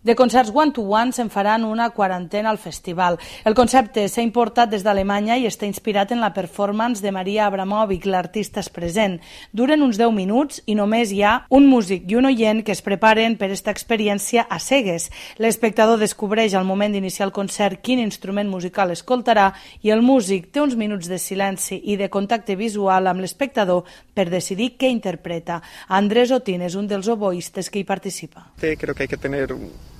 De concerts one-to-one se'n faran una quarantena al festival. El concepte s'ha importat des d'Alemanya i està inspirat en la performance de Maria Abramovic, l'artista és present. Duren uns 10 minuts i només hi ha un músic i un oient que es preparen per esta experiència a cegues. L'espectador descobreix al moment d'iniciar el concert quin instrument musical escoltarà i el músic té uns minuts de silenci i de contacte visual amb l'espectador per decidir què interpreta. Andrés Otín és un dels oboistes que hi participa. Creo que hay que tener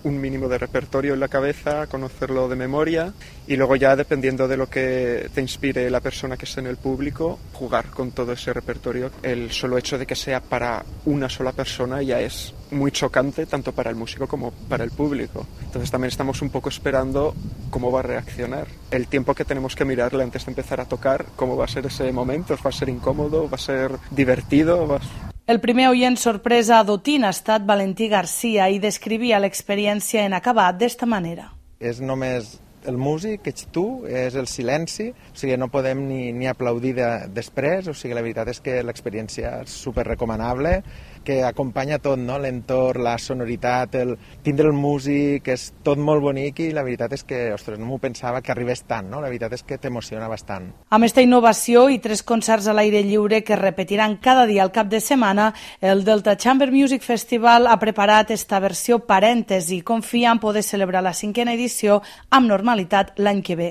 un mínimo de repertorio en la cabeza, conocerlo de memoria y luego ya dependiendo de lo que te inspire la persona que esté en el público, jugar con todo ese repertorio. El solo hecho de que sea para una sola persona ya es muy chocante tanto para el músico como para el público. Entonces también estamos un poco esperando cómo va a reaccionar. El tiempo que tenemos que mirarle antes de empezar a tocar, cómo va a ser ese momento, va a ser incómodo, va a ser divertido, El primer oient sorpresa d'Otín ha estat Valentí Garcia i descrivia l'experiència en acabat d'esta manera. És només el músic, ets tu, és el silenci, o sigui, no podem ni aplaudir després, o sigui, la veritat és que l'experiència és superrecomanable, que acompanya tot, no? L'entorn, la sonoritat, tindre el músic, és tot molt bonic i la veritat és que, ostres, no m'ho pensava que arribés tant, no? La veritat és que t'emociona bastant. Amb esta innovació i 3 concerts a l'aire lliure que es repetiran cada dia al cap de setmana, el Delta Chamber Music Festival ha preparat esta versió parèntesi, confia en poder celebrar la 5a edició amb normalitat l'any que ve.